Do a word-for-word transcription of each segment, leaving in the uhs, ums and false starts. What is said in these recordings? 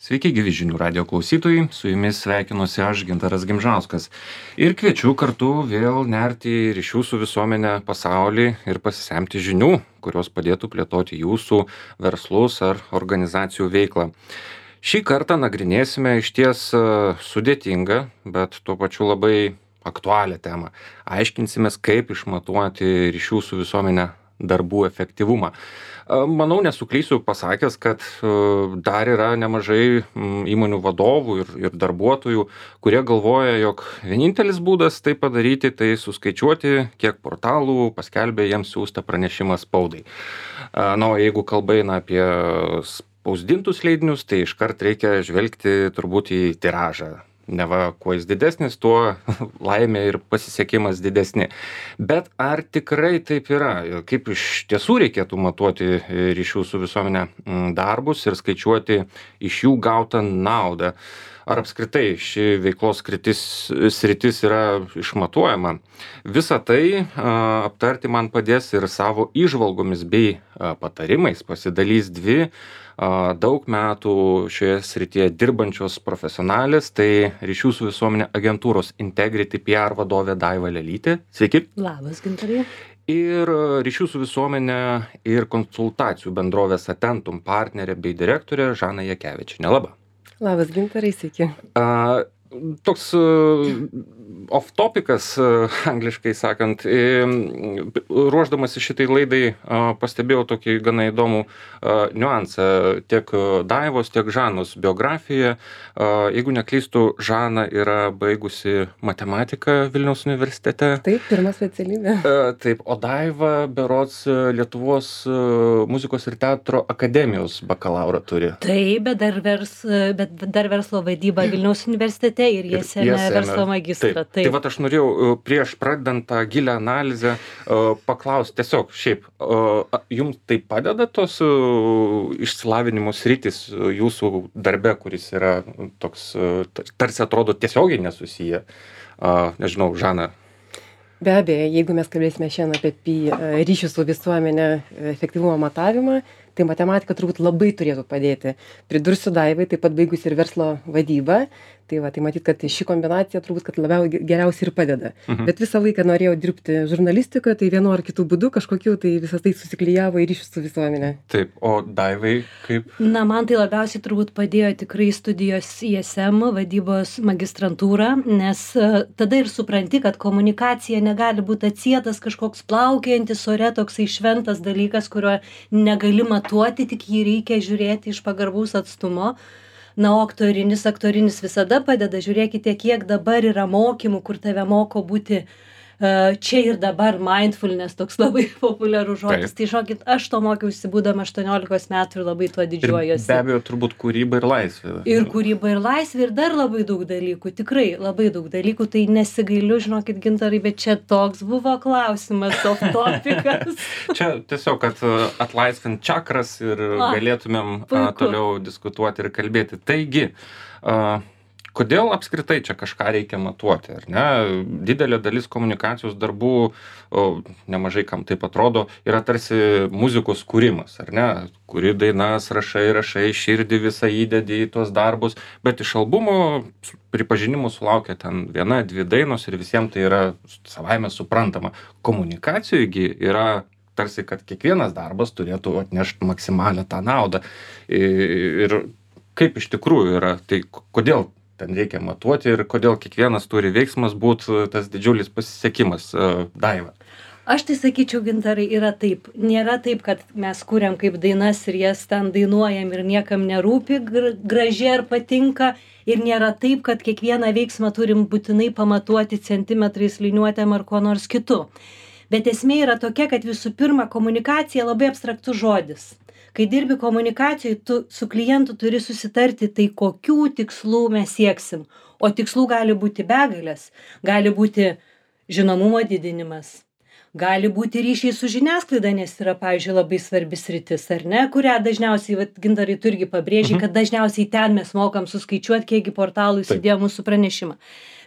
Sveiki, gyvi žinių radio klausytojai, su jumis sveikinuosi aš, Gintaras Gimžauskas. Ir kviečiu kartu vėl nerti į ryšių su visuomenė pasaulį ir pasisemti žinių, kurios padėtų plėtoti jūsų verslus ar organizacijų veiklą. Šį kartą nagrinėsime išties sudėtingą, bet tuo pačiu labai aktualią temą. Aiškinsimės, kaip išmatuoti ryšių su visuomenė darbų efektyvumą. Manau, nesuklysiu pasakęs, kad dar yra nemažai įmonių vadovų ir, ir darbuotojų, kurie galvoja, jog vienintelis būdas tai padaryti, tai suskaičiuoti, kiek portalų paskelbė jiems siųstą pranešimą spaudai. Na, o jeigu kalba eina apie spausdintus leidinius, tai iškart reikia žvelgti turbūt į tiražą. Neva, kuo jis didesnis, tuo laimė ir pasisekimas didesni. Bet ar tikrai taip yra? Kaip iš tiesų reikėtų matuoti ryšių su visuomenė darbus ir skaičiuoti iš jų gautą naudą? Ar apskritai ši veiklos sritis, sritis yra išmatuojama? Visą tai a, aptarti man padės ir savo įžvalgomis bei a, patarimais pasidalys dvi a, daug metų šioje srityje dirbančios profesionalės, tai ryšių su visuomenė agentūros Integrity P R vadovė Daiva Lelytė. Sveiki. Labas, Gintarai. Ir ryšių su visuomenė ir konsultacijų bendrovės Atentum partnerė bei direktorė Žana Jakevičienė. Labą. Labas, Gintarai, sveiki. A, toks uh, off-topikas, uh, angliškai sakant, e, ruošdamasi šitai laidai uh, pastebėjau tokį gana įdomų uh, niuansą tiek Daivos, tiek Žanos biografijoje. Uh, jeigu neklystu, Žana yra baigusi matematiką Vilniaus universitete. Taip, pirma specialybė. Uh, taip, o Daiva berods Lietuvos uh, muzikos ir teatro akademijos bakalaurą turi. Taip, bet dar, vers, bet dar verslo vadyba Vilniaus universitete. Ir jie sėmė verslo magistrą. Taip. Tai vat aš norėjau prieš pradedant tą gilią analizę paklausti tiesiog šiaip, jums tai padeda tos išsilavinimo sritis jūsų darbe, kuris yra toks, tarsi atrodo tiesiogiai nesusiję? Nežinau, Žana. Be abejo, jeigu mes kalbėsime šiandien apie ryšių su visuomenė efektyvumo matavimą, tai matematika turbūt labai turėtų padėti. Pridursiu Daivai, taip pat baigus ir verslo vadybą. Tai va, tai matyt, kad ši kombinacija turbūt, kad labiau geriausiai ir padeda. Mhm. Bet visą laiką norėjau dirbti žurnalistikoje, tai vienu ar kitų būdų kažkokiu, tai visas tai susiklijavo į ryšius su visuomenė. Taip, o Daivai kaip? Na, man tai labiausiai turbūt padėjo tikrai studijos I S M, vadybos magistrantūra, nes uh, tada ir supranti, kad komunikacija negali būti atsietas kažkoks plaukiojantis ore, toksai šventas dalykas, kurio negali matuoti, tik jį reikia žiūrėti iš pagarbaus atstumo. Na, o aktorinis, aktorinis visada padeda. Žiūrėkite, kiek dabar yra mokymų, kur tave moko būti uh, čia ir dabar, mindfulness, toks labai populiarus žodis. Tai žokit, aš to mokiausi būdama aštuoniolikos metų ir labai tuo didžiuojuosi. Ir be abejo, turbūt kūryba ir laisvė. Ir kūryba ir laisvė ir dar labai daug dalykų, tikrai labai daug dalykų, tai nesigailiu, žinokit, Gintarai, bet čia toks buvo klausimas, off-topikas. Čia tiesiog, kad atlaisvint čakras ir a, galėtumėm a, toliau diskutuoti ir kalbėti. Taigi, a, kodėl apskritai čia kažką reikia matuoti, ar ne? Didelė dalis komunikacijos darbų, o, nemažai kam taip atrodo, yra tarsi muzikos kūrimas, ar ne? Kuri dainas rašai, rašai, širdį visą įdedi į tuos darbus, bet iš albumo pripažinimų sulaukia ten viena, dvi dainos ir visiems tai yra savaime suprantama. Komunikacijoje yra tarsi, kad kiekvienas darbas turėtų atnešti maksimalią tą naudą. Ir kaip iš tikrųjų yra, tai kodėl ten reikia matuoti ir kodėl kiekvienas turi veiksmas būti tas didžiulis pasisekimas, Daiva? Aš tai sakyčiau, Gintarai, yra taip. Nėra taip, kad mes kuriam kaip dainas ir jas ten dainuojam ir niekam nerūpi, gražiai ar patinka. Ir nėra taip, kad kiekvieną veiksmą turim būtinai pamatuoti centimetrais, liniuotėm ar kuo nors kitu. Bet esmė yra tokia, kad visų pirma komunikacija labai abstraktus žodis. Kai dirbi komunikacijoje, tu su klientu turi susitarti, tai kokių tikslų mes sieksim. O tikslų gali būti begalės. Gali būti žinomumo didinimas. Gali būti ryšiai su žiniasklaida, nes yra, pavyzdžiui, labai svarbi sritis, ar ne, kurią dažniausiai, vat, Gintarai, tu irgi pabrėži, mhm. kad dažniausiai ten mes mokam suskaičiuoti, kiekgi portalų įsidėjo mūsų pranešimą.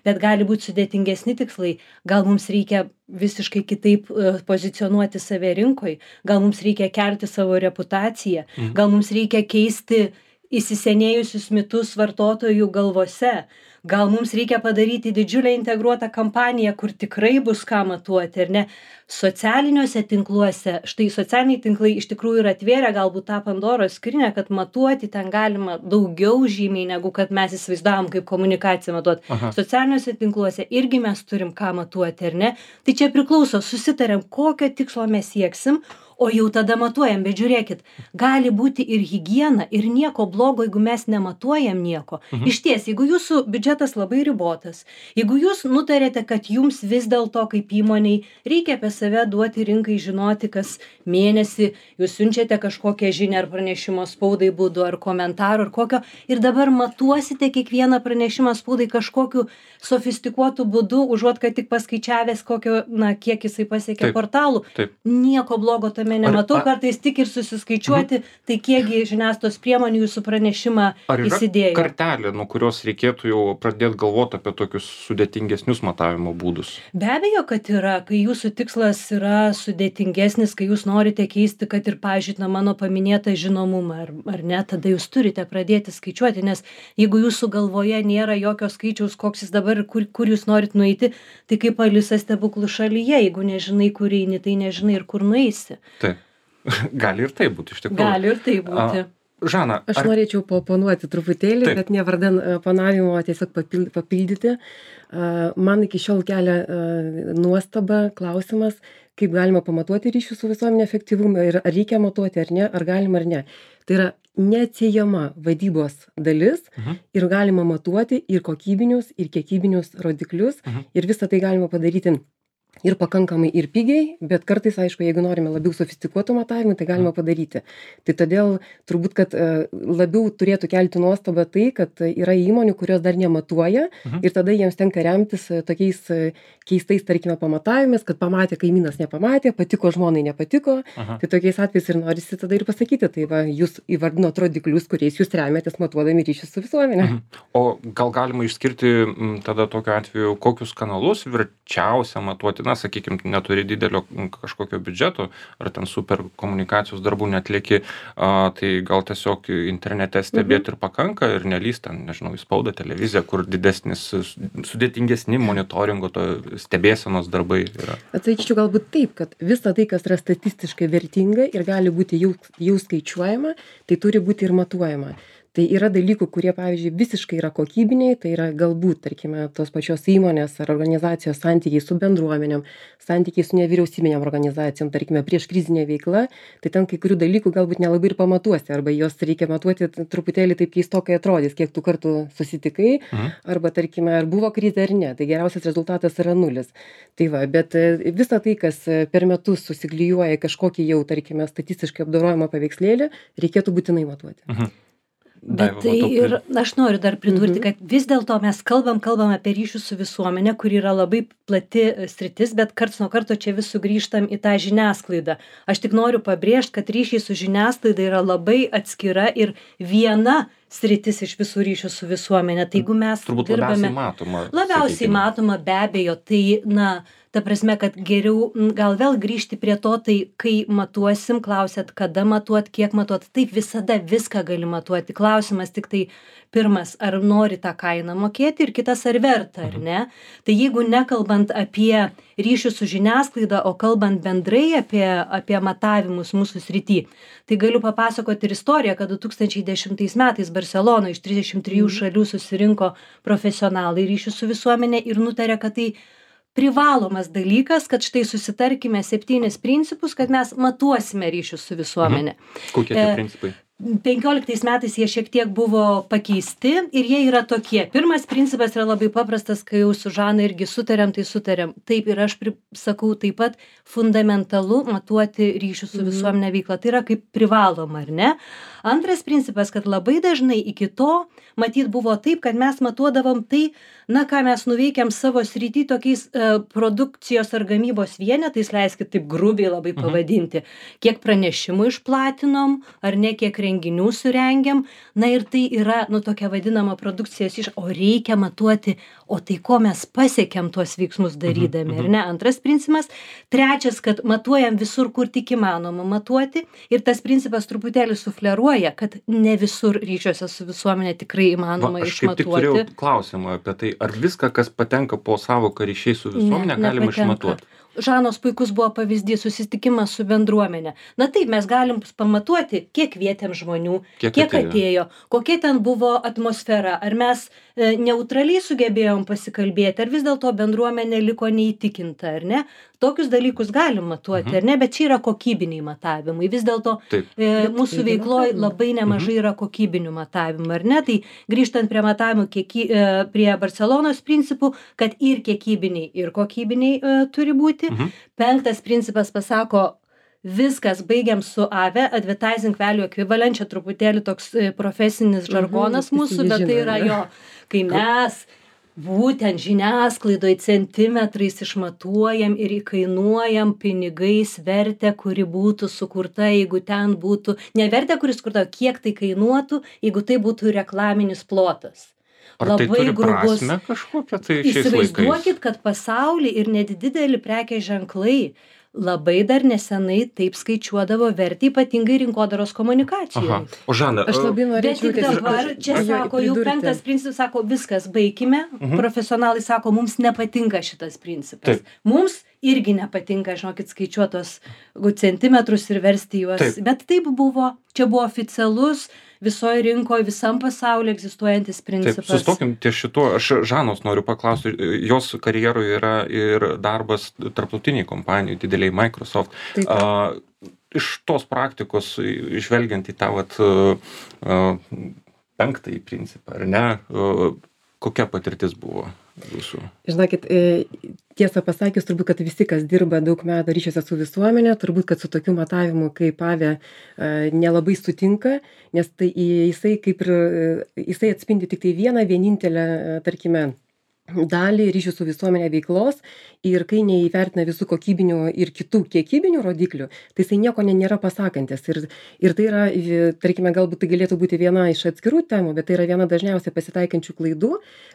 Bet gali būti sudėtingesni tikslai, gal mums reikia visiškai kitaip uh, pozicionuoti save rinkoj, gal mums reikia kelti savo reputaciją, mhm. gal mums reikia keisti įsisenėjusius mitus vartotojų galvose. Gal mums reikia padaryti didžiulę integruotą kampaniją, kur tikrai bus ką matuoti, ar ne? Socialiniuose tinkluose, štai socialiniai tinklai iš tikrųjų yra atvėrę galbūt tą Pandoros skrynią, kad matuoti ten galima daugiau žymiai, negu kad mes įsivaizdavom kaip komunikaciją matuoti. Aha. Socialiniuose tinkluose irgi mes turim ką matuoti, ar ne? Tai čia priklauso, susitariam, kokio tikslo mes sieksim, o jau tada matuojam, bet žiūrėkit, gali būti ir higiena, ir nieko blogo, jeigu mes nematuojam nieko. Mhm. Išties, jeigu jūsų biudžetas labai ribotas, jeigu jūs nutarėte, kad jums vis dėlto kaip įmoniai reikia apie save duoti rinkai žinoti, kas mėnesį jūs siunčiate kažkokią žinią ar pranešimo spaudai būdu, ar komentarų, ar kokio, ir dabar matuosite kiekvieną pranešimą spaudai kažkokiu sofistikuotų būdu, užuot, kad tik paskaičiavęs kokio, na, kiek jisai pasiekė Taip, portalų. taip. Nieko blogo tame nematau, Ar- a- kartais tik ir susiskaičiuoti, tai kiekgi žiniasklaidos priemonių jūsų pranešimą Ar yra įsidėjo. kartelė, nuo kurios reikėtų jau pradėti galvoti apie tokius sudėtingesnius matavimo būdus? Be abejo, kad yra, kai jūsų tikslas yra sudėtingesnis, kai jūs norite keisti, kad ir, pavyzdžiui, na, mano paminėtą žinomumą, ar, ar ne, tada jūs turite pradėti skaičiuoti, nes jeigu jūsų galvoje nėra jokio skaičiaus, koks jis dabar, kur, kur jūs norit nueiti, tai kaip Alisa stebuklų šalyje, jeigu nežinai, kur eini, tai nežinai ir kur nueisi. Taip. Gali ir tai būti, iš tikrųjų. Gali ir tai būti. A, Žana, Aš ar... norėčiau paoponuoti truputėlį, Taip. bet ne vardan a, panavimo, tiesiog papil- papildyti. A, Man iki šiol kelia a, nuostaba klausimas, kaip galima pamatuoti ryšių su visuomenė efektyvumą ir ar reikia matuoti ar ne, ar galima ar ne. Tai yra neatsiejama vadybos dalis Mhm. ir galima matuoti ir kokybinius, ir kiekybinius rodiklius Mhm. ir visą tai galima padaryti ir pakankamai ir pigiai, bet kartais, aišku, jeigu norime labiau sofistikuotų matavimų, tai galima padaryti. Tai todėl turbūt, kad e, labiau turėtų kelti nuostabą tai, kad e, yra įmonių, kurios dar nematuoja Mhm. ir tada jiems tenka remtis e, tokiais e, keistais, tarkime, pamatavimais, kad pamatė kaimynas nepamatė, patiko žmonai nepatiko. Aha. Tai tokiais atvejais ir norisi tada ir pasakyti, tai va, jūs įvardinot rodiklius, kuriais jūs remiatės matuodami ryšius su visuomenė. Mhm. O gal galima išskirti m, tada tokiu atveju, kokius kanalus verčiausia matuoti? Na, sakykime, neturi didelio m, kažkokio biudžeto, ar ten super komunikacijos darbų netlieki, a, tai gal tiesiog internete stebėti ir pakanka ir nelys ten, nežinau, į spaudą, televiziją, kur didesnis, s- sudėtingesni monitoringo, to stebėsenos darbai yra. Atsakyčiau galbūt taip, kad visa tai, kas yra statistiškai vertinga ir gali būti jau, jau skaičiuojama, tai turi būti ir matuojama. Tai yra dalykų, kurie, pavyzdžiui, visiškai yra kokybiniai, tai yra galbūt, tarkime, tos pačios įmonės ar organizacijos santykiai su bendruomenėm, santykiai su nevyriausybinėm organizacijom, tarkime, prieš krizinė veikla, tai ten kai kurių dalykų galbūt nelabai ir pamatuosi, arba jos reikia matuoti t- truputėlį taip keistokai atrodys, kiek tu kartų susitikai, Mhm. arba, tarkime, ar buvo krizė ar ne, tai geriausias rezultatas yra nulis. Tai va, bet e, visa tai, kas e, per metus susiklijuoja į kažkokį jau, tarkime, statistiškai apdorojamą paveikslėlį, reikėtų būtinai matuoti. Mhm. Bet Daiva, tai matau, ir aš noriu dar pridurti, Mhm. kad vis dėlto mes kalbam, kalbam apie ryšius su visuomenė, kuri yra labai plati e, sritis, bet karts nuo karto čia vis sugrįžtam į tą žiniasklaidą. Aš tik noriu pabrėžti, kad ryšiai su žiniasklaida yra labai atskira ir viena sritis iš visų ryšių su visuomenė. Tai jeigu mes turbūt dirbame labiausiai matoma. labiausiai sakykime. matoma be abejo, tai, na, ta prasme, kad geriau m, gal vėl grįžti prie to, tai kai matuosim, klausėt, kada matuot, kiek matuot, taip visada viską gali matuoti. Klausimas tik tai pirmas, ar nori tą kainą mokėti ir kitas, ar verta, ar ne. Tai jeigu nekalbant apie ryšių su žiniasklaida, o kalbant bendrai apie, apie matavimus mūsų srity, tai galiu papasakoti ir istoriją, kad du tūkstančiai dešimtais metais Barcelonoje iš trisdešimt trijų šalių susirinko profesionalai ryšių su visuomenė ir nutarė, kad tai privalomas dalykas, kad štai susitarkime septynis principus, kad mes matuosime ryšius su visuomenė. Kokie tie E, principai? penkioliktais metais jie šiek tiek buvo pakeisti ir jie yra tokie. Pirmas principas yra labai paprastas, kai jau su Žana irgi sutarėm, tai sutarėm. Taip ir aš pri- sakau taip pat fundamentalu matuoti ryšių su visuomenė veiklą. Tai yra kaip privaloma, ar ne? Antras principas, kad labai dažnai iki to, matyt, buvo taip, kad mes matuodavom tai, na, ką mes nuveikėm savo srity tokiais e, produkcijos ar gamybos vienetais, leiskit taip grubiai labai pavadinti. Kiek pranešimų išplatinom, ar ne, kiek renginių surengiam, na ir tai yra, nu, tokia vadinama produkcijos iš, o reikia matuoti, o tai ko mes pasiekėm tuos veiksmus darydami, ar ne? Antras principas. Trečias, kad matuojam visur, kur tik įmanoma matuoti, ir tas principas truputėlį sufleruoja, kad ne visur ryšiuose su visuomenė tikrai įmanoma Va, aš kaip tik išmatuoti. turėjau klausimą apie tai, ar viską, kas patenka po savoką ryšiai su visuomenė, Ne, galima nepatenka. išmatuoti. Žanos puikus buvo pavyzdys, susitikimas su bendruomenė. Na taip, mes galim pamatuoti, kiek vietėm žmonių, Kiek kiek, kiek atėjo. atėjo, kokia ten buvo atmosfera, ar mes e, neutraliai sugebėjom pasikalbėti, ar vis dėlto bendruomenė liko neįtikinta, ar ne? Tokius dalykus galim matuoti, ar ne? Bet čia yra kokybiniai matavimai. Vis dėlto Taip. e, mūsų yra veikloje matavimai. labai nemažai yra kokybinių matavimų, ar ne? Tai grįžtant prie matavimų, kieky, e, prie Barcelonos principų, kad ir kiekybiniai, ir kokybiniai e, turi būti. Mhm. Penktas principas pasako, viskas, baigiam su A V E, Advertising Value Equivalent, čia truputėlį toks e, profesinis žargonas Mhm, mūsų, visi bet tai žino, yra ne? jo, kai mes būtent žiniasklaidoj centimetrais išmatuojam ir įkainuojam pinigais vertę, kuri būtų sukurta, jeigu ten būtų, ne vertę, kuri sukurta, o kiek tai kainuotų, jeigu tai būtų reklaminis plotas. Ar tai Labai turi grubus. prasme kažkokią tai šiais laikais? Įsivaizduokit, kad pasauly ir nedideli prekės ženklai labai dar nesenai taip skaičiuodavo vertę, ypatingai rinkodaros Aha. komunikacijai. O Žana, Aš labai Bet norėčiau tik tiesiog dabar, čia aš- sako, jau pridurti. penktas principas sako, viskas, baigime. Mhm. Profesionalai sako, mums nepatinka šitas principas. Taip. Mums irgi nepatinka, žinokit, skaičiuotos centimetrus ir versti juos. Taip. Bet taip buvo, čia buvo oficialus visoje rinkoje, visam pasaulyje egzistuojantis taip, principas. sustokim ties šituo. Aš Žanos noriu paklausti, jos karjeroje yra ir darbas tarptautiniai kompanijai, dideliai Microsoft. Taip. A, iš tos praktikos, žvelgiant į tą vat, a, a, penktąjį principą, ar ne, a, kokia patirtis buvo jūsų? Žinokit, e, tiesą pasakius, turbūt, kad visi, kas dirba daug metų ryšiuose su visuomenė, turbūt, kad su tokiu matavimu kaip A V E e, nelabai sutinka, nes tai jisai kaip ir, e, jisai atspindi tik tai vieną vienintelę, e, tarkime, dalį ryšių su visuomenė veiklos ir kai neįvertina visų kokybinių ir kitų kiekybinių rodiklių, tai jisai nieko ne, nėra pasakantis. Ir, ir tai yra, e, tarkime, galbūt tai galėtų būti viena iš atskirų temų, bet tai yra viena dažniausiai pasitaikančių klaidų,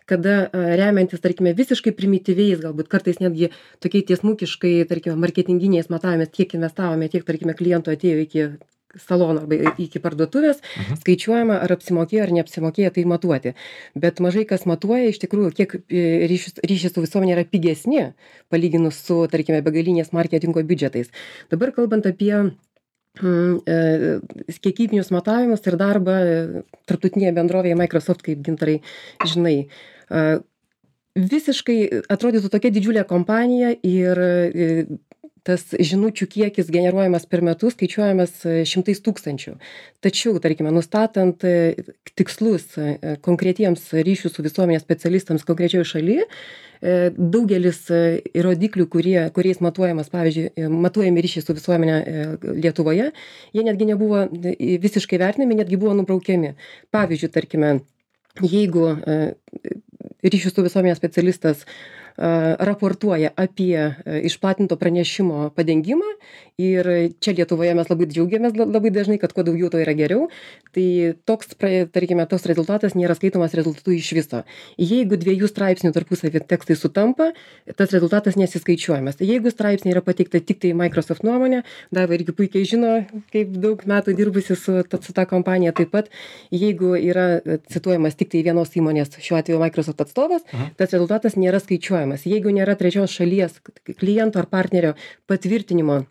kada e, remiantis, tarkime, visiškai primityviais, galbūt kartais netgi tokiai tiesmukiškai, tarkime, marketinginiais matavimais, kiek investavome, tiek, tarkime, klientų atėjo iki salono arba iki parduotuvės, Mhm. skaičiuojama, ar apsimokėjo ar neapsimokėjo tai matuoti. Bet mažai kas matuoja iš tikrųjų, kiek e, ryšius- ryšiai su visuomenė yra pigesni, palyginus su, tarkime, begalinės marketingo biudžetais. Dabar kalbant apie mm, e, kiekybinius matavimus ir darbą e, tarptautinėje bendrovėje Microsoft, kaip Gintarai žinai. E, visiškai atrodytų tokia didžiulė kompanija ir e, tas žinučių kiekis generuojamas per metus skaičiuojamas e, šimtais tūkstančių. Tačiau, tarkime, nustatant e, tikslus e, konkretiems ryšių su visuomenės specialistams konkrečioje šalyje, e, daugelis e, rodiklių, kurie, kuriais matuojamas, pavyzdžiui, e, matuojami ryšiai su visuomenė e, Lietuvoje, jie netgi nebuvo e, visiškai vertinami, netgi buvo nubraukiami. Pavyzdžiui, tarkime, jeigu e, ryšių su visuomenės specialistas a, raportuoja apie e, išplatinto pranešimo padengimą ir čia Lietuvoje mes labai džiaugiamės la- labai dažnai, kad kuo daugiau to yra geriau, tai toks, pra- tarkime, toks rezultatas nėra skaitomas rezultatu iš viso. Jeigu dviejų straipsnių tarpusavį tekstai sutampa, tas rezultatas nesiskaičiuojamas. Jeigu straipsniai yra pateikta tik tai Microsoft nuomonė, Daiva irgi puikiai žino, kaip daug metų dirbusi su, ta- su ta kompanija taip pat, jeigu yra e, cituojamas tik tai vienos įmonės, šiuo atveju Microsoft atstovas, Mhm. tas rezultatas nėra skaičiuojamas. Jeigu nėra trečios šalies kliento ar partnerio patvirtinimo,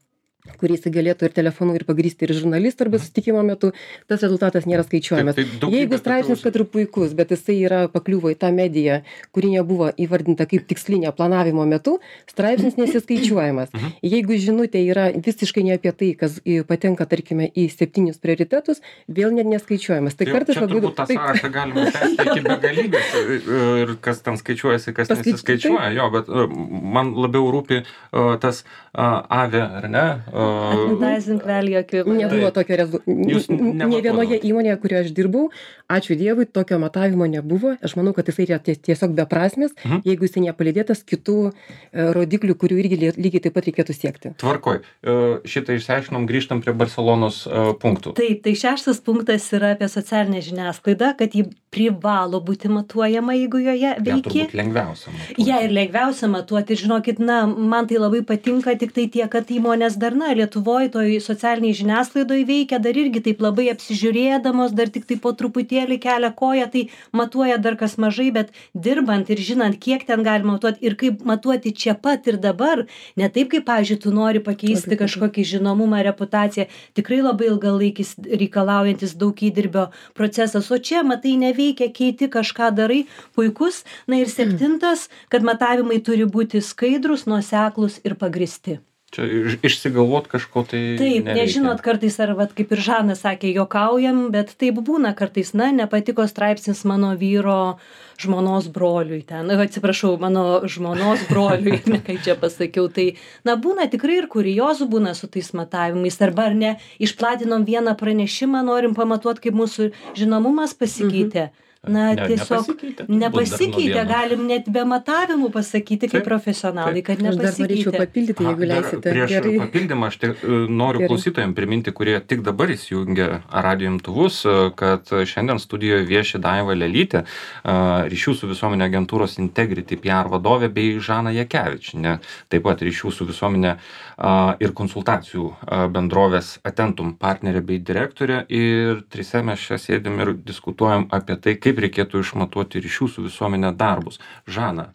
kurį jis galėtų ir telefonu ir pagrįsti ir žurnalistų arba susitikimo metu, tas rezultatas nėra skaičiuojamas. Taip, tai daugybė Jeigu straipsnis, tokių- kad ir puikus, bet jisai yra pakliuvo į tą mediją, kuri nebuvo įvardinta kaip tikslinė planavimo metu, straipsnis nesiskaičiuojamas. Mhm. Jeigu žinutė yra visiškai ne apie tai, kas į- patenka, tarkime, į septynius prioritetus, vėl net neskaičiuojamas. Tai Tai kartais čia labai turbūt tą taip, sąrašą galima tęsti iki begalybės ir- ir kas ten skaičiuojasi, kas Paskaič- nesiskaičiuoja. Jo, bet e, man labiau rūpi e, tas e, A V E, ar ne, Advertising value equivalent. Nebuvo tokio Jūs rezultato. Ne vienoje nematuodavot? įmonėje, kurioje aš dirbau, ačiū Dievui, tokio matavimo nebuvo. Aš manau, kad jisai yra ties- tiesiog beprasmis, Mhm. jeigu jisai nepalydėtas kitų e, rodiklių, kurių irgi lie- lygiai taip pat reikėtų siekti. Tvarkoj. E, Šitą išsiaiškinom, grįžtam prie Barcelonos e, punktų. Taip, tai šeštas punktas yra apie socialinę žiniasklaidą, kad ji privalo būti matuojama, jeigu joje Ja, veiki. turbūt lengviausia. matuoti. Ja ir lengviausia matuoti, ir žinokit, na, man tai labai patinka tik tai tiek, kad įmonės dar, na, Lietuvoje toj socialiniai žiniasklaidoje veikia, dar irgi taip labai apsižiūrėdamos, dar tik tai po truputėlį kelia koją, tai matuoja dar kas mažai, bet dirbant ir žinant, kiek ten galima matuoti ir kaip matuoti čia pat ir dabar, ne taip, kaip, pavyzdžiui, tu nori pakeisti Labai kažkokį žinomumą, reputaciją, tikrai labai ilgalaikis reikalaujantis daug įdirbio procesas, o čia, matai, neveikia, keiti kažką darai, puikus. Na ir septintas, kad matavimai turi būti skaidrus, nuoseklūs ir pagristi. Čia iš- išsigalvot kažko tai Taip, nereikia. nežinot, kartais, ar vat, kaip ir Žanas sakė, jokaujam, bet taip būna kartais, na, nepatiko straipsnis mano vyro žmonos broliui ten, na, atsiprašau, mano žmonos broliui, ne kaip čia pasakiau, tai, na, būna tikrai ir kuriozų būna su tais matavimais, arba ar ne, išplatinom vieną pranešimą, norim pamatuoti, kaip mūsų žinomumas pasikeitė. Na, Ne, tiesiog nepasikeitė, turbūt dar nuo nepasikeitė, vieno. galim net be matavimų pasakyti kaip Taip, profesionalai, kad Aš dar norėčiau nepasikeitė. papildyti, Aha, jeigu dar leisite. Prieš Gerai. papildymą aš tik e, noriu Gerai. klausytojams priminti, kurie tik dabar įsijungia radijo imtuvus, e, kad šiandien studijoje vieši Daiva Lelytė, e, ryšių su visuomenė agentūros Integrity P R vadovė, bei Žana Jakevičienė, taip pat ryšių su visuomenė e, ir konsultacijų e, bendrovės Atentum partnerė bei direktorė. Ir trise mes čia sėdim ir diskutuojam apie tai, kaip reikėtų išmatuoti ryšių su visuomenė darbus. Žana.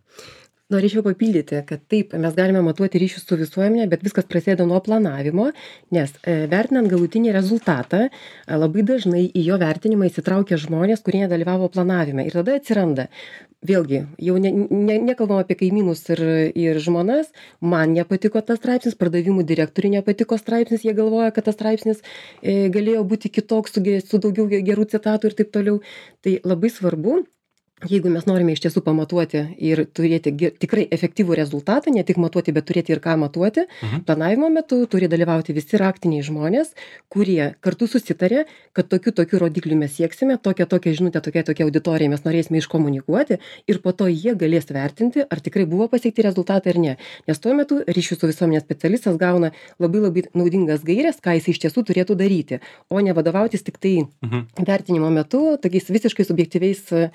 Norėčiau papildyti, kad taip, mes galime matuoti ryšius su visuomenė, bet viskas prasideda nuo planavimo, nes e, vertinant galutinį rezultatą, e, labai dažnai į jo vertinimą įsitraukia žmonės, kurie nedalyvavo planavime. Ir tada atsiranda, vėlgi, jau ne, ne, nekalbam apie kaimynus ir, ir žmonas, man nepatiko tas straipsnis, pardavimų direktoriui nepatiko straipsnis, jie galvoja, kad tas straipsnis e, galėjo būti kitoks, su, ge- su daugiau ge- gerų citatų ir taip toliau. Tai labai svarbu, jeigu mes norime iš tiesų pamatuoti ir turėti ge- tikrai efektyvų rezultatą, ne tik matuoti, bet turėti ir ką matuoti, Mhm. planavimo metu turi dalyvauti visi raktiniai žmonės, kurie kartu susitarė, kad tokių tokių rodiklių mes sieksime, tokią tokią žinutę, tokia tokia auditorija mes norėsime iškomunikuoti ir po to jie galės vertinti, ar tikrai buvo pasiekti rezultatai ar ne. Nes tuo metu ryšių su visuomenės specialistas gauna labai labai naudingas gairias, ką jis iš tiesų turėtų daryti, o ne vadovautis tik tai Mhm. vertinimo metu tokiais visiškai subjektyviais e,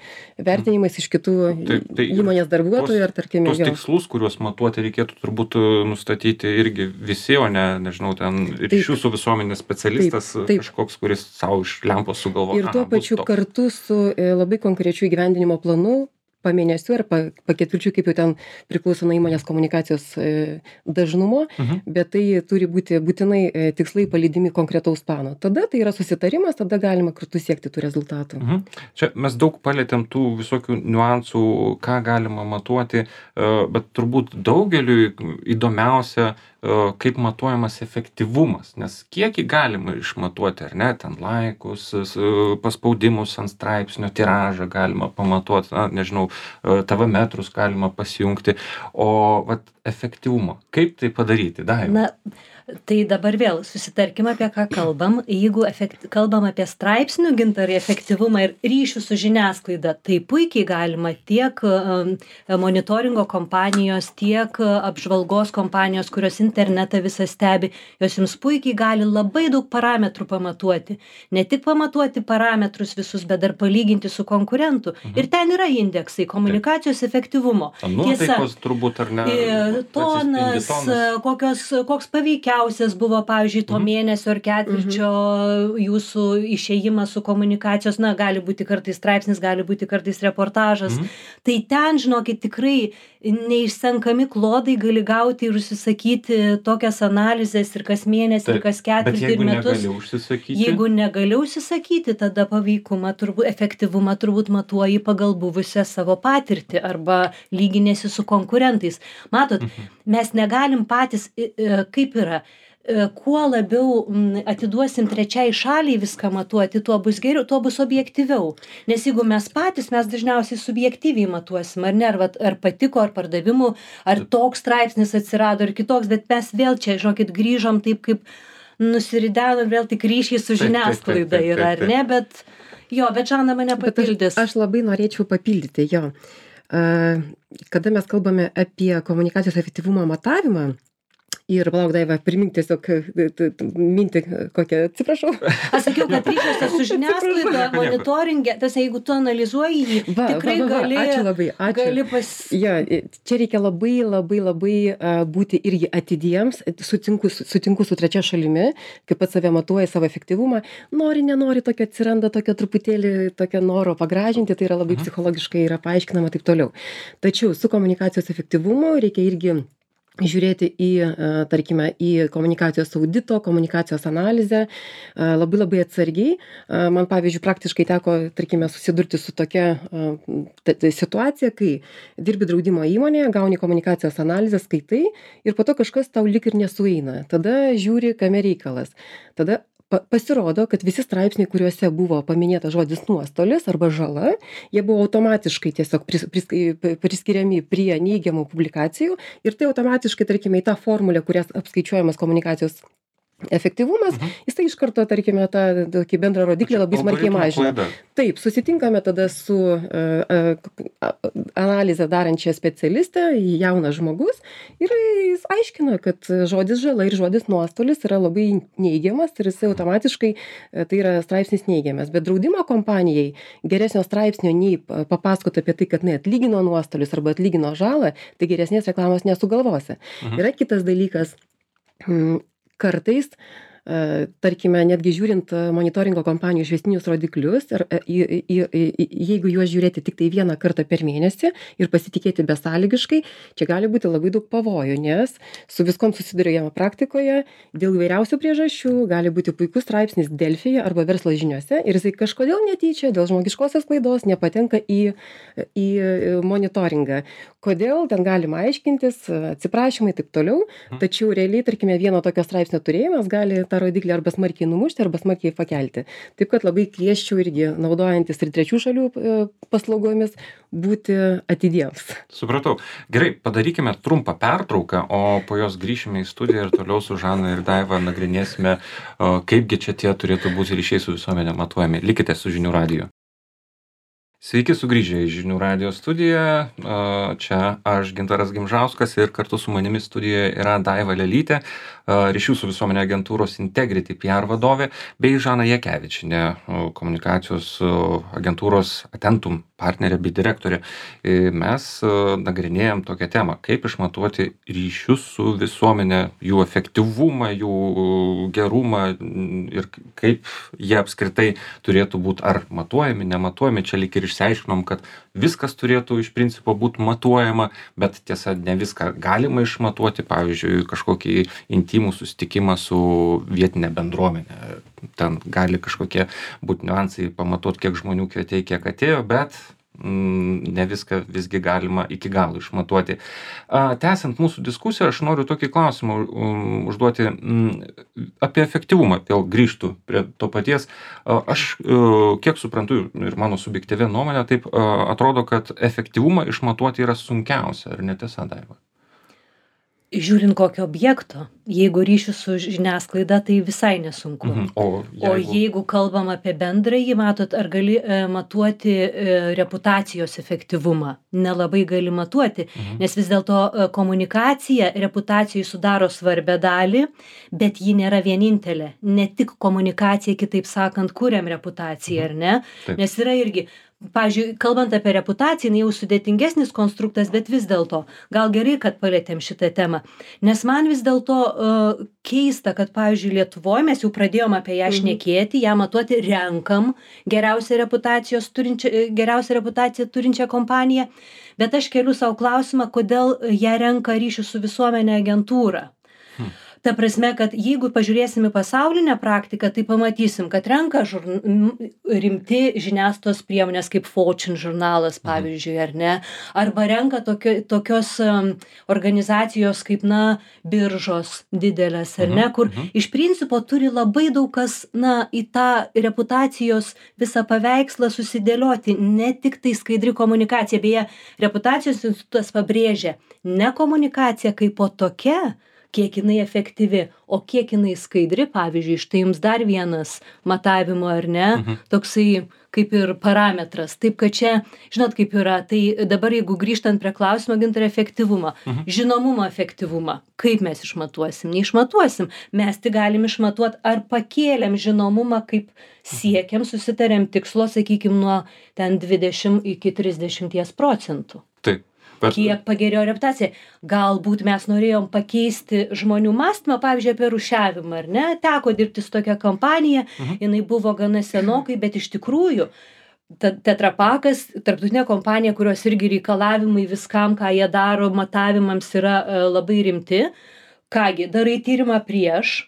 vertinimais iš kitų Tai- tai ir įmonės darbuotojų ar tarkime Tos jo. tikslus, kuriuos matuoti reikėtų turbūt e, nustatyti irgi visi, o ne, nežinau, ten ryšių su visuomenės specialistas, Taip, taip. kažkoks, kuris savo iš lempos sugalvoja. Ir tuo pačiu kartu su e, labai konkrečiu įgyvendinimo planu, pa mėnesių ar pa, pa ketvirčių, kaip jau ten priklauso nuo įmonės komunikacijos e, dažnumo, Mhm. bet tai turi būti būtinai e, tikslai palydimi konkretaus plano. Tada tai yra susitarimas, tada galima kartu siekti tų rezultatų. Mhm. Čia mes daug palėtėm tų visokių niuansų, ką galima matuoti, e, bet turbūt daugeliui įdomiausia, e, kaip matuojamas efektyvumas, nes kiekį galima išmatuoti, ar ne, ten laikus, s- paspaudimus ant straipsnio, tiražą galima pamatuoti, na, nežinau, e, T V metrus galima pasijungti, o vat, efektyvumo, kaip tai padaryti, Daiva? Na, tai dabar vėl susitarkim apie ką kalbam. Jeigu efekt, kalbam apie straipsnių gintarį efektyvumą ir ryšių su žiniasklaida, tai puikiai galima tiek um, monitoringo kompanijos, tiek uh, apžvalgos kompanijos, kurios internetą visą stebi, jos jums puikiai gali labai daug parametrų pamatuoti. Ne tik pamatuoti parametrus visus, bet dar palyginti su konkurentu. Mhm. Ir ten yra indeksai komunikacijos efektyvumo. Nuotaikos turbūt, ar ne? Ir tonas, Atsispindi tonas. kokios, koks paveikiausias buvo, pavyzdžiui, to Mhm. mėnesio ar ketvirčio jūsų išėjimas su komunikacijos, na, gali būti kartais straipsnis, gali būti kartais reportažas. Mhm. Tai ten, žinokit, tikrai neišsenkami klodai gali gauti ir užsisakyti tokias analizės ir kas mėnesį, ir Taip, kas Bet ketvirtį, ir jeigu metus. negali užsisakyti, Jeigu negali užsisakyti, tada paveikumą, turbūt, efektyvumą turbūt matuoji pagal buvusią savo patirtį arba lyginėsi su konkurentais. Matot, Mhm. mes negalim patys, i- i- kaip yra, kuo labiau atiduosim trečiai šaliai viską matuoti, tuo bus geriau, tuo bus objektyviau. Nes jeigu mes patys, mes dažniausiai subjektyviai matuosim, ar ne, ar, ar patiko, ar pardavimų, ar toks straipsnis atsirado, ar kitoks, bet mes vėl čia, žinokit, grįžom taip, kaip nusiridenom, vėl tik ryšiai su žiniasklaida yra, ar ne, bet jo, bet Žana mane papildys. Aš, aš labai norėčiau papildyti, jo. Kada mes kalbame apie komunikacijos efektyvumo matavimą, ir palauk, Daiva, primink tiesiog mintį kokią, atsiprašau. Aš sakiau, kad ryšiuose su žiniasklaida, monitoringė, tas jeigu tu analizuoji jį, va, tikrai va, va, gali, ačiū labai, ačiū. gali pas... Ja, čia reikia labai, labai, labai uh, būti irgi atidiems, sutinku, sutinku su trečia šalimi, kaip pats save matuoja savo efektyvumą, nori, nenori, tokio atsiranda tokio truputėlį tokio noro pagražinti, tai yra labai mhm. psichologiškai yra paaiškinama taip toliau. Tačiau su komunikacijos efektyvumu reikia irgi žiūrėti į, tarkime, į komunikacijos audito, komunikacijos analizę labai labai atsargiai. Man, pavyzdžiui, praktiškai teko, tarkime, susidurti su tokia situacija, kai dirbi draudimo įmonėje, gauni komunikacijos analizę, skaitai ir po to kažkas tau lik ir nesueina. Tada žiūri, kame reikalas. Tada pasirodo, kad visi straipsniai, kuriuose buvo paminėta žodis nuostolis arba žala, jie buvo automatiškai tiesiog pris, pris, priskiriami prie neigiamų publikacijų ir tai automatiškai, tarkime, į tą formulę, kurias apskaičiuojamas komunikacijos efektyvumas, mhm. jisai iš karto, tarkime, tą tokį bendrą rodiklį labai smarkiai mažina. Taip, susitinkame tada su uh, uh, analizę darančią specialistę, jaunas žmogus, ir jis aiškina, kad žodis žala ir žodis nuostolis yra labai neigiamas ir jisai automatiškai, tai yra straipsnis neigiamas. Bet draudimo kompanijai geresnio straipsnio nei papasakoti apie tai, kad jinai atlygino nuostolius arba atlygino žalą, tai geresnės reklamos nesugalvosi. Mhm. Yra kitas dalykas, kartais, tarkime, netgi žiūrint monitoringo kompanijų išvestinius rodiklius, ir, į, į, į, jeigu juos žiūrėti tik tai vieną kartą per mėnesį ir pasitikėti besąlygiškai, čia gali būti labai daug pavojų, nes su viskom susiduriama praktikoje, dėl įvairiausių priežasčių gali būti puikus straipsnis Delfyje arba verslo žiniuose ir jisai kažkodėl netyčia dėl žmogiškosios klaidos nepatenka į, į monitoringą. Kodėl, ten galima aiškintis, atsiprašymai, taip toliau, tačiau realiai, tarkime, vieno tokio straipsnio turėjimas gali tą rodiklį arba smarkiai numušti, arba smarkiai pakelti. Taip, kad labai kviesčiau irgi, naudojantis ir trečių šalių paslaugomis, būti atidiems. Supratau. Gerai, padarykime trumpą pertrauką, o po jos grįšime į studiją ir toliau su Žana ir Daiva nagrinėsime, kaipgi čia tie turėtų būti ryšiai su visuomenė matuojami. Likite su Žinių radiju. Sveiki sugrįžę į Žinių radijo studiją. Čia aš, Gintaras Gimžauskas, ir kartu su manimi studijoje yra Daiva Lelytė, ryšių su visuomenė agentūros Integrity P R vadovė, bei Žana Jakevičienė, komunikacijos agentūros Atentum partnerė bei direktorė. Mes nagrinėjam tokią temą, kaip išmatuoti ryšius su visuomenė, jų efektyvumą, jų gerumą ir kaip jie apskritai turėtų būti ar matuojami, nematuojami. Čia lyg ir išsiaiškinom, kad viskas turėtų iš principo būti matuojama, bet tiesa, ne viską galima išmatuoti, pavyzdžiui, kažkokį intimų susitikimą su vietinė bendruomenė. Ten gali kažkokie būti niuansai, pamatuoti, kiek žmonių kvietė, kiek atėjo, bet mm, ne viską visgi galima iki galo išmatuoti. A, tęsiant mūsų diskusiją, aš noriu tokį klausimą um, užduoti mm, apie efektyvumą. Vėl grįžtų prie to paties. A, aš, uh, kiek suprantu ir mano subjektyvia nuomonė, taip uh, atrodo, kad efektyvumą išmatuoti yra sunkiausia. Ar netiesa, Daiva? Žiūrint kokio objekto, jeigu ryšių su žiniasklaida, tai visai nesunku. Mhm. O, jeigu... o jeigu kalbam apie bendrąjį, matot, ar gali e, matuoti e, reputacijos efektyvumą? Nelabai gali matuoti, mhm. nes vis dėlto e, komunikacija reputacijai sudaro svarbę dalį, bet ji nėra vienintelė. Ne tik komunikacija, kitaip sakant, kuriam reputaciją, mhm. ar ne? Taip. Nes yra irgi... Pavyzdžiui, kalbant apie reputaciją, jau sudėtingesnis konstruktas, bet vis dėlto, gal gerai, kad palėtėm šitą temą. Nes man vis dėlto uh, keista, kad, pavyzdžiui, Lietuvoje mes jau pradėjom apie ją šnekėti, ją matuoti, renkam geriausią reputacijos turinčią, geriausią reputaciją turinčią kompaniją, bet aš keliu savo klausimą, kodėl ją renka ryšių su visuomenė agentūra. Hmm. Ta prasme, kad jeigu pažiūrėsim į pasaulinę praktiką, tai pamatysim, kad renka žurn... rimti žiniasklaidos priemonės kaip Fortune žurnalas, pavyzdžiui, ar ne, arba renka tokio, tokios um, organizacijos kaip, na, biržos didelės, ar ne, kur iš principo turi labai daug kas, na, į tą reputacijos visą paveikslą susidėlioti, ne tik tai skaidri komunikacija, beje, reputacijos institutas pabrėžia, ne komunikacija kaip po tokia, kiek jinai efektyvi, o kiek jinai skaidri, pavyzdžiui, štai jums dar vienas matavimo, ar ne, mhm. toksai kaip ir parametras. Taip, kad čia, žinot, kaip yra, tai dabar jeigu grįžtant prie klausimo, Gintarai, efektyvumą, mhm. žinomumo efektyvumą, kaip mes išmatuosim, neišmatuosim, mes tik galim išmatuoti, ar pakėlėm žinomumą, kaip siekiam, susitarėm tikslo, sakykim, nuo ten dvidešimt iki trisdešimt procentų. Taip. Bet... Kiek pagerėjo reputacija. Galbūt mes norėjom pakeisti žmonių mąstymą, pavyzdžiui, apie rūšiavimą, ar ne? Teko dirbti su tokia kompanija, uh-huh. jinai buvo gana senokai, bet iš tikrųjų Tetra Pakas, tarptautinė kompanija, kurios irgi reikalavimai viskam, ką jie daro, matavimams yra uh, labai rimti. Kągi, darai tyrimą prieš,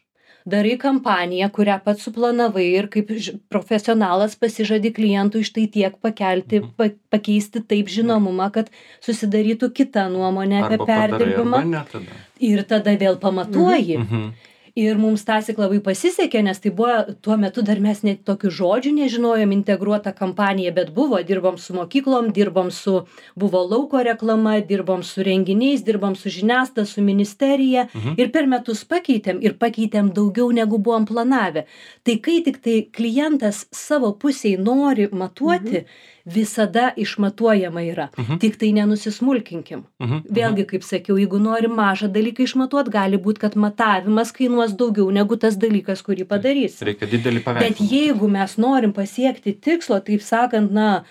darai kampaniją, kurią pats suplanavai ir kaip profesionalas pasižadi klientui štai tiek pakelti, pa, pakeisti taip žinomumą, kad susidarytų kita nuomonė apie perdirbimą. Tada. Ir tada vėl pamatuoji. Mhm. Ir mums tąsyk labai pasisekė, nes tai buvo, tuo metu dar mes net tokių žodžių nežinojom, integruota kampanija, bet buvo, dirbom su mokyklom, dirbom su, buvo lauko reklama, dirbom su renginiais, dirbom su žiniasklaida, su ministerija mhm. ir per metus pakeitėm ir pakeitėm daugiau negu buvom planavę. Tai kai tik tai klientas savo pusiai nori matuoti, mhm. visada išmatuojama yra. Mhm. Tik tai nenusismulkinkim. Mhm. Vėlgi, kaip sakiau, jeigu nori mažą dalyką išmatuot, gali būti, kad matavimas kainuos daugiau negu tas dalykas, kurį padarys. Reikia didelį paveikslą. Bet jeigu mes norim pasiekti tikslo, taip sakant, na,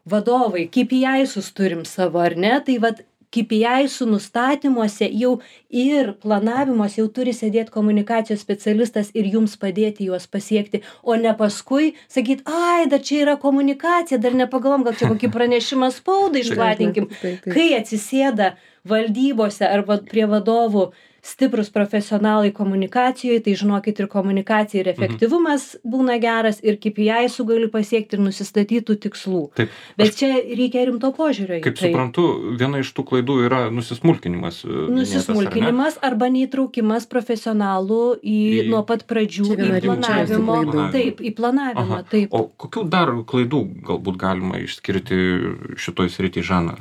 vadovai, K P I-sus turim savo, ar ne, tai vat K P I-sų nustatymuose jau ir planavimuose jau turi sėdėti komunikacijos specialistas ir jums padėti juos pasiekti, o ne paskui sakyt, ai, dar čia yra komunikacija, dar nepagalvom, gal čia kokį pranešimą spaudai išplatinkim. Kai atsisėda valdybose arba prie vadovų stiprus profesionalai komunikacijoje, tai žinokit ir komunikacija ir efektyvumas mhm. būna geras ir K P I-sų gali pasiekti ir nusistatytų tikslų. Taip. Bet aš, čia reikia rimto požiūrio. Kaip tai. suprantu, viena iš tų klaidų yra nusismulkinimas. Nusismulkinimas ar arba neįtraukimas profesionalų į, į... nuo pat pradžių į planavimo. Taip, į planavimą. Aha. Taip. O kokių dar klaidų galbūt galima išskirti šitoj srity, Žana?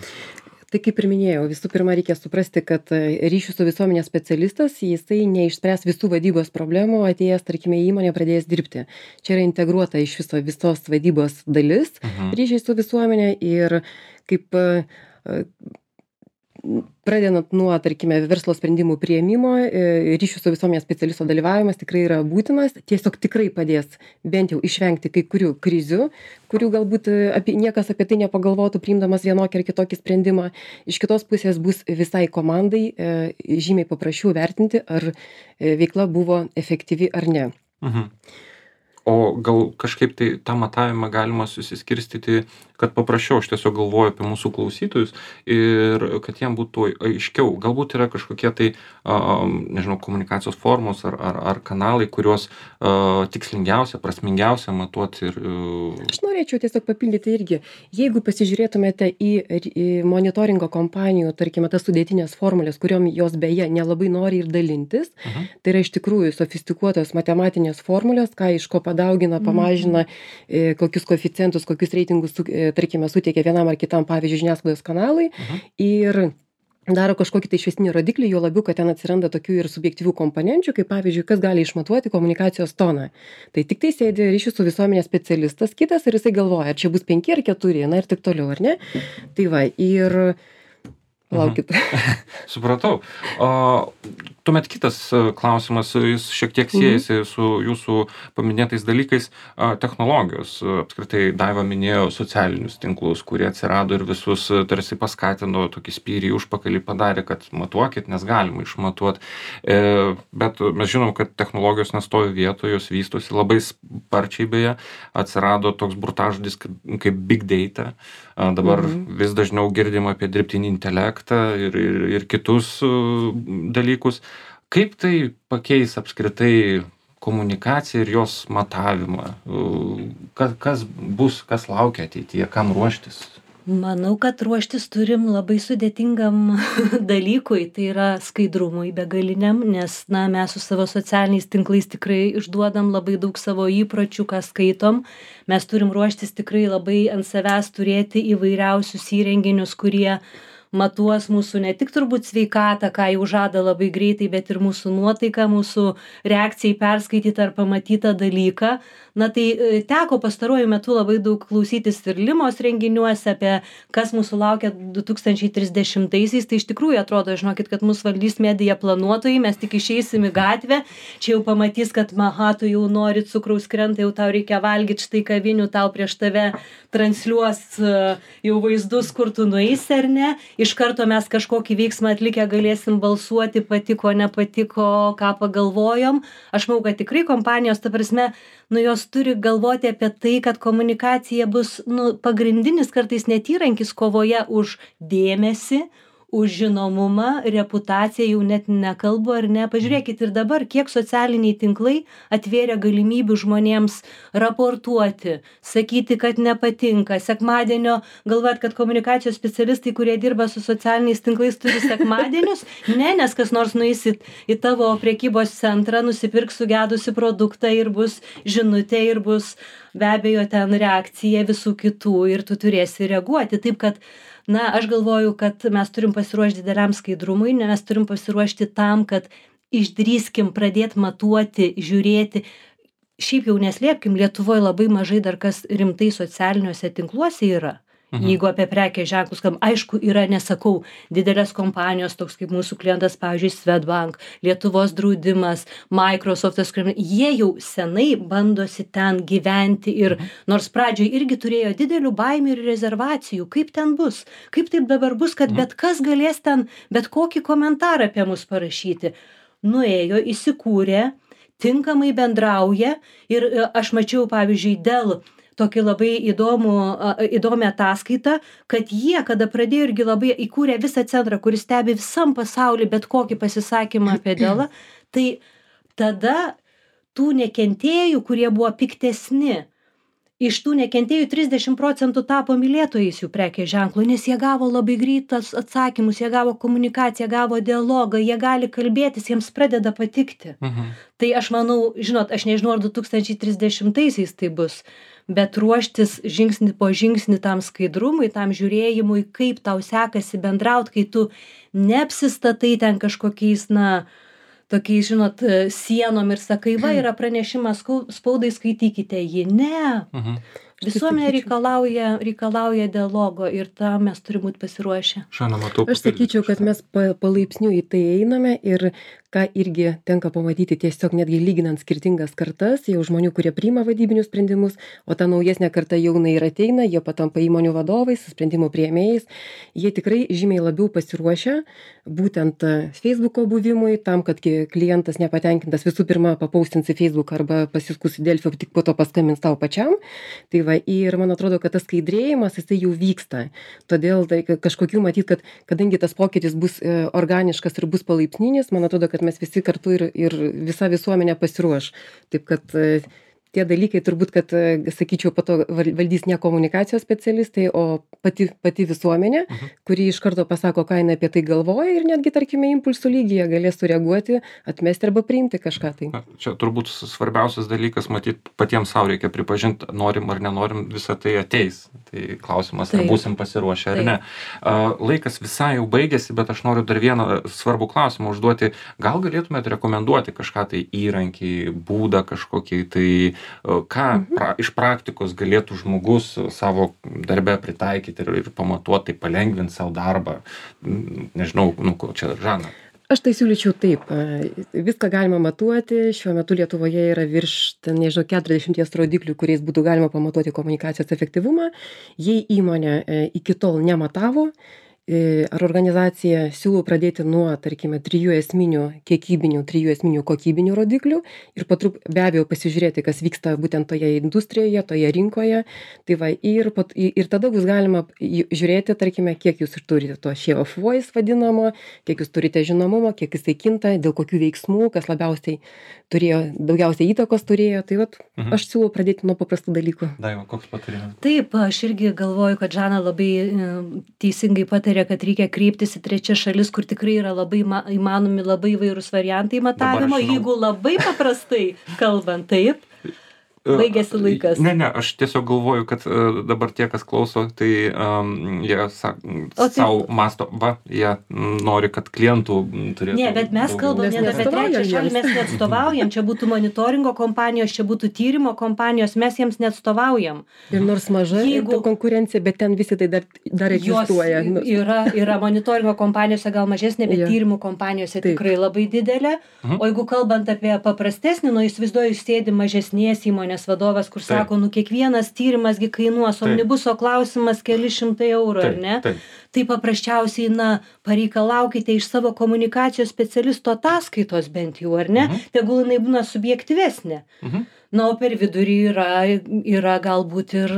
Tai kaip ir minėjau, visų pirma reikia suprasti, kad ryšių su visuomenės specialistas, jisai neišspręs visų vadybos problemų, atėjęs, tarkime, įmonė pradėjęs dirbti. Čia yra integruota iš viso visos vadybos dalis mhm. ryšiai su visuomenė ir kaip pradedant nuo, tarkime, verslo sprendimų priėmimo, ryšių su visuomenės specialisto dalyvavimas tikrai yra būtinas, tiesiog tikrai padės bent jau išvengti kai kurių krizių, kurių galbūt apie, niekas apie tai nepagalvotų, priimdamas vienokį ar kitokį sprendimą. Iš kitos pusės bus visai komandai e, žymiai paprasčiau vertinti, ar veikla buvo efektyvi ar ne. Mhm. O gal kažkaip tai tą matavimą galima susiskirstyti, kad paprasčiau, aš tiesiog galvoju apie mūsų klausytojus ir kad jiem būtų aiškiau. Galbūt yra kažkokie tai, uh, nežinau, komunikacijos formos ar, ar, ar kanalai, kuriuos uh, tikslingiausia, prasmingiausia matuoti. Ir, uh... Aš norėčiau tiesiog papildyti irgi. Jeigu pasižiūrėtumėte į, į monitoringo kompanijų, tarkime, tas sudėtinės formulės, kuriuom jos beje nelabai nori ir dalintis, uh-huh. tai yra iš tikrųjų sofistikuotos matematinės formulės, ką iš ko padaugina, pamažina, e, kokius koeficientus, kokius reitingus, e, tarkime, suteikia vienam ar kitam, pavyzdžiui, žiniasklaidos kanalai uh-huh. ir daro kažkokį tai išvestinį rodiklį, jo labiau, kad ten atsiranda tokių ir subjektyvių komponenčių, kaip pavyzdžiui, kas gali išmatuoti komunikacijos toną. Tai tik tai sėdi ryšių su visuomenės specialistas kitas ir jisai galvoja, ar čia bus penki ar keturi, na ir taip toliau, ar ne? Tai va, ir laukit. Mhm. Supratau. O, tuomet kitas klausimas, jis šiek tiek siejasi mhm. su jūsų paminėtais dalykais, technologijos. Apskritai, Daiva minėjo socialinius tinklus, kurie atsirado ir visus tarsi paskatino, tokį spyrį užpakalį padarė, kad matuokit, nes galima išmatuoti. E, bet mes žinom, kad technologijos nestovi vietoje, jos vystosi labai sparčiai beje. Atsirado toks burtažodis kaip, kaip big data. Dabar mhm. vis dažniau girdim apie dirbtinį intelektą ir, ir, ir kitus dalykus. Kaip tai pakeis apskritai komunikaciją ir jos matavimą? Kas, kas bus, kas laukia ateityje, kam ruoštis? Manau, kad ruoštis turim labai sudėtingam dalykui, tai yra skaidrumui begaliniam, nes na, mes su savo socialiniais tinklais tikrai išduodam labai daug savo įpročių, ką skaitom. Mes turim ruoštis tikrai labai ant savęs turėti įvairiausius įrenginius, kurie matuos mūsų ne tik turbūt sveikatą, ką jau žada labai greitai, bet ir mūsų nuotaiką, mūsų reakciją į perskaitytą ar pamatytą dalyką. Na tai teko pastaruoju metu labai daug klausytis ir Limos renginiuose apie kas mūsų laukia du tūkstančiai trisdešimtaisiais. Tai iš tikrųjų atrodo, žinokit, kad mus valdys medija planuotojai, mes tik išeisim į gatvę, čia jau pamatys, kad maha, tu jau nori cukraus krenta, jau tau reikia valgyti, štai kavinių tau prieš tave transliuos jau vaizdus, kur tu nueisi ar ne. Iš karto mes kažkokį veiksmą atlikę galėsim balsuoti, patiko, nepatiko, ką pagalvojom. Aš manau, kad tikrai kompanijos, ta prasme, nu jos turi galvoti apie tai, kad komunikacija bus nu, pagrindinis kartais net įrankis kovoje už dėmesį, už žinomumą, reputaciją, jau net nekalbu ar ne. Pažiūrėkit ir dabar, kiek socialiniai tinklai atvėrė galimybių žmonėms raportuoti, sakyti, kad nepatinka. Sekmadienio, galvojat, kad komunikacijos specialistai, kurie dirba su socialiniais tinklais, turi sekmadienius? Ne, nes kas nors nueis į, į tavo prekybos centrą, nusipirks sugedusi produktą ir bus žinutė ir bus be abejo ten reakcija visų kitų ir tu turėsi reaguoti. Taip kad na, aš galvoju, kad mes turim pasiruošti dideliam skaidrumui, mes turim pasiruošti tam, kad išdrįskim pradėti matuoti, žiūrėti. Šiaip jau neslėpkim, Lietuvoje labai mažai dar kas rimtai socialiniuose tinkluose yra. Mhm. Jeigu apie prekės ženklus, kam aišku yra, nesakau, didelės kompanijos, toks kaip mūsų klientas, pavyzdžiui, Swedbank, Lietuvos draudimas, Microsoftas, jie jau senai bandosi ten gyventi ir nors pradžioj irgi turėjo didelių baimių ir rezervacijų, kaip ten bus, kaip taip dabar bus, kad bet kas galės ten bet kokį komentarą apie mus parašyti. Nuėjo, įsikūrė, tinkamai bendrauja ir aš mačiau, pavyzdžiui, dėl tokį labai įdomų, įdomią ataskaitą, kad jie, kada pradėjo irgi labai įkūrė visą centrą, kuris stebi visam pasauly bet kokį pasisakymą apie Delą, tai tada tų nekentėjų, kurie buvo piktesni, iš tų nekentėjų trisdešimt procentų tapo mylėtojais jų prekės ženklų, nes jie gavo labai greitas atsakymus, jie gavo komunikaciją, gavo dialogą, jie gali kalbėtis, jiems pradeda patikti. Mhm. Tai aš manau, žinot, aš nežinau, ar du tūkstančiai trisdešimtaisiais tai bus, bet ruoštis žingsnį po žingsnį tam skaidrumui, tam žiūrėjimui, kaip tau sekasi bendraut, kai tu neapsistatai ten kažkokiais, na, tokiais, žinot, sienom ir sakai, va, yra pranešimas spaudai, skaitykite jį. Ne. Mhm. Visuomenė reikalauja, reikalauja dialogo ir tam mes turime būti pasiruošę. Šiandien matau. Aš sakyčiau, kad mes palaipsniui į tai einame ir ką irgi tenka pamatyti tiesiog netgi lyginant skirtingas kartas, jau žmonių, kurie priima vadybinius sprendimus, o ta naujesnė karta jaunai ir ateina, jie patampa įmonių vadovais, sprendimų priėmėjais, jie tikrai žymiai labiau pasiruošę būtent Facebooko buvimui, tam, kad klientas nepatenkintas visų pirma papaustins į Facebook arba pasiskus į Delfį, tik po to paskambins tau pačiam. Tai va, ir man atrodo, kad tas skaidrėjimas, jisai jau vyksta. Todėl tai kažkokių matyt, kad kadangi tas pokytis bus organiškas ir bus palaipsninis, man atrodo, kad mes visi kartu ir, ir visa visuomenė pasiruoš. Taip kad tie dalykai turbūt, kad, sakyčiau, po to valdys ne komunikacijos specialistai, o pati, pati visuomenė, mhm. kuri iš karto pasako, ką jinai apie tai galvoja ir netgi, tarkime, impulsų lygyje galės sureaguoti, atmesti arba priimti kažką tai. Na, čia turbūt svarbiausias dalykas, matyt, patiems savo reikia pripažinti, norim ar nenorim, visą tai ateis. Tai klausimas, ar būsim pasiruošę ar ne. Laikas visai jau baigėsi, bet aš noriu dar vieną svarbų klausimą užduoti. Gal galėtumėte rekomenduoti kažką tai įrankį, būdą kažkokį, tai ką pra, iš praktikos galėtų žmogus savo darbe pritaikyti ir, ir pamatuoti, tai palengvinti savo darbą. Nežinau, nu, čia Žana. Aš tai siūlyčiau taip. Viską galima matuoti. Šiuo metu Lietuvoje yra virš, ten, nežinau, keturiasdešimt rodiklių, kuriais būtų galima pamatuoti komunikacijos efektyvumą. Jei įmonė iki tol nematavo ar organizacija siūlo pradėti nuo, tarkime, trijų esminių kiekybinių, trijų esminių kokybinių rodiklių ir patrup, be abejo pasižiūrėti, kas vyksta būtent toje industrijoje, toje rinkoje. Tai va, ir, pat, ir tada bus galima žiūrėti, tarkime, kiek jūs turite to share of voice vadinamo, kiek jūs turite žinomumo, kiek jisai kinta, dėl kokių veiksmų, kas labiausiai turėjo, daugiausiai įtakos turėjo. Tai va, mhm. aš siūlau pradėti nuo paprastų dalykų. Daiva, koks patarimas? Taip, aš irgi galvoju, kad Žana labai teisingai patarė, kad reikia kreiptis į trečias šalis, kur tikrai yra labai įmanomi labai įvairūs variantai matavimo, jeigu labai paprastai kalbant, taip. Baigėsi laikas. Ne, ne, aš tiesiog galvoju, kad uh, dabar tie, kas klauso, tai um, jie sa, tai... savo masto, va, jie nori, kad klientų turėtų. Ne, bet mes kalbam ne apie trečią šalį, mes neatstovaujam, čia būtų monitoringo kompanijos, čia būtų tyrimo kompanijos, mes jiems neatstovaujam. Ir nors maža Jeigu... konkurencija, bet ten visi tai dar, dar egzistuoja. Yra, yra monitoringo kompanijose gal mažesnė, bet ja. tyrimų kompanijose Taip. tikrai labai didelė. Mhm. O jeigu kalbant apie paprastesnį, nu įsivaizduoju, sėdi mažesnės įmonės vadovas, kur taip. sako, nu kiekvienas tyrimasgi kainuos, omnibuso klausimas keli šimtai eurų, ar ne? Taip. Tai paprasčiausiai, na, pareikalaukite iš savo komunikacijos specialisto ataskaitos bent jau, ar ne? Mhm. Tegul jinai būna subjektyvesnė. Mhm. Na, o per vidurį yra, yra galbūt ir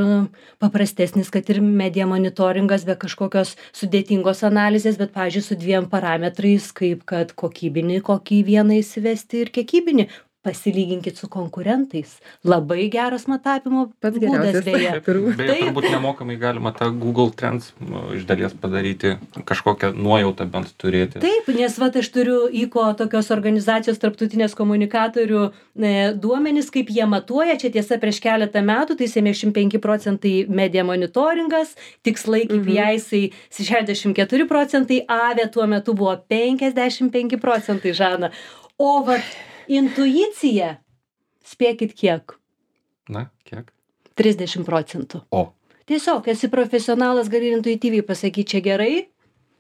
paprastesnis, kad ir media monitoringas be kažkokios sudėtingos analizės, bet, pavyzdžiui, su dviem parametrais, kaip kad kokybinį, kokį vieną įsivesti ir kiekybinį. Pasilyginkit su konkurentais. Labai geras matavimo Pats būdas beje. Beje, turbūt nemokamai galima tą Google Trends iš dalies padaryti, kažkokią nuojautą bent turėti. Taip, nes vat aš turiu įko tokios organizacijos tarptautinės komunikatorių e, duomenis, kaip jie matuoja. Čia tiesa prieš keletą metų, tai septyniasdešimt penki procentai media monitoringas, tikslai K P I-sai šešiasdešimt keturi procentai, A V E tuo metu buvo penkiasdešimt penki procentai, Žana. O vat intuicija, spėkit kiek? Na, kiek? trisdešimt procentų. O. Tiesiog, esi profesionalas, gali intuityviai pasakyti, čia gerai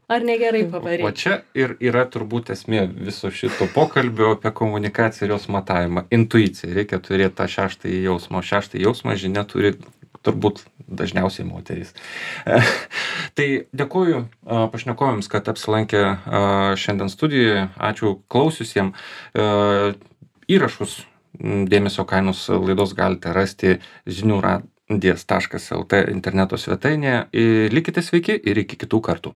ar negerai pavaryti. O čia ir yra turbūt esmė viso šito pokalbio apie komunikaciją ir jos matavimą. Intuicija. Reikia turėti tą šeštąjį jausmą. Šeštąjį jausmą žinia turi turbūt dažniausiai moterys. Tai dėkuoju pašnekovėms, kad apsilankė šiandien studijoje. Ačiū klausiusiems. Įrašus dėmesio kainos laidos galite rasti žinių radijas taškas el tė interneto svetainėje. Likite sveiki ir iki kitų kartų.